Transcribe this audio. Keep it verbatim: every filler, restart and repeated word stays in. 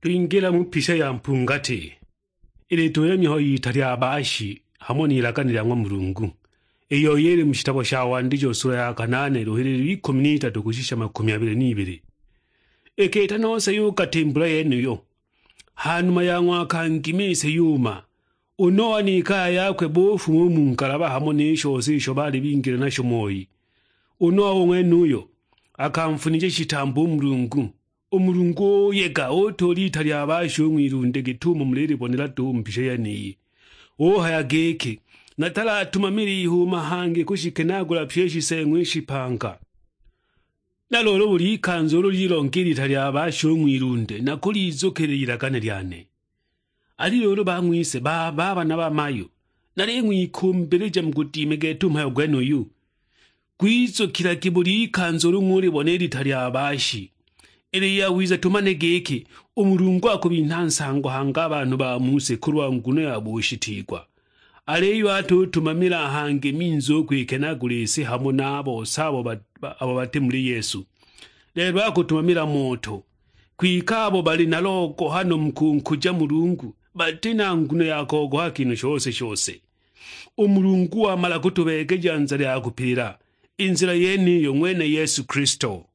Twingila mu pisha ya mpungati, ili tuyemya ho ita lya baashi hamo n'ilagane lya ng'wa Mulungu, iyo yili mu shitabo sha Wandijo sula ya kanaane luhililo ikumi n'itatu kushisha makumi abili n'ibili. Iki ita nose yukatimbula yeniyo, ha numa ya ng'waka ngimise yuma, u Noa n'ikaya yakwe bufuma u mu ngalaba hamo ni shose isho bali bingile nasho moi. U Noa u ng'wenuyo akamfunija shitambo u Mulungu. U Mulungu uyega utula ita lya baashi u ng'wilunde git'umo mulilibonela duhu mu mpisha yeniyi. Uhaya giki, "Natalatumamile ihuuma hangi kushikenaagula pyi i shiseeng'wa i shipanga. Na luulu buli ikanza ulu lilonga i lita lya baashi u ng'wilunde, nakulizukila ilagane lyane." Ali luulu bang'wise, baba, bana bamayu, naling'wikumbilija mugudime gete u mhayo gwenuyu. Gwizukilagi buli ikanza ulu ng'ulibona i lita lya baashi. Ili yawiza tumane giki, u Mulungu akubinha nsango hangi a banhu ba mu si kulwa nguno ya bushitiigwa. Aliyo atutumamila hangi minzi u kwikenaagula i si hamo na a bose abo ba- ba- abo bati muli Yesu. Lelo akutumamila moto, kwike abo bali na logohano mu kunkuja Mulungu bati na nguno ya kogoha kinhu shose shose. U Mulungu wamala kutubeegeja nzila ya kupila, i nzila yeniyo ng'wene Yesu Kilisto.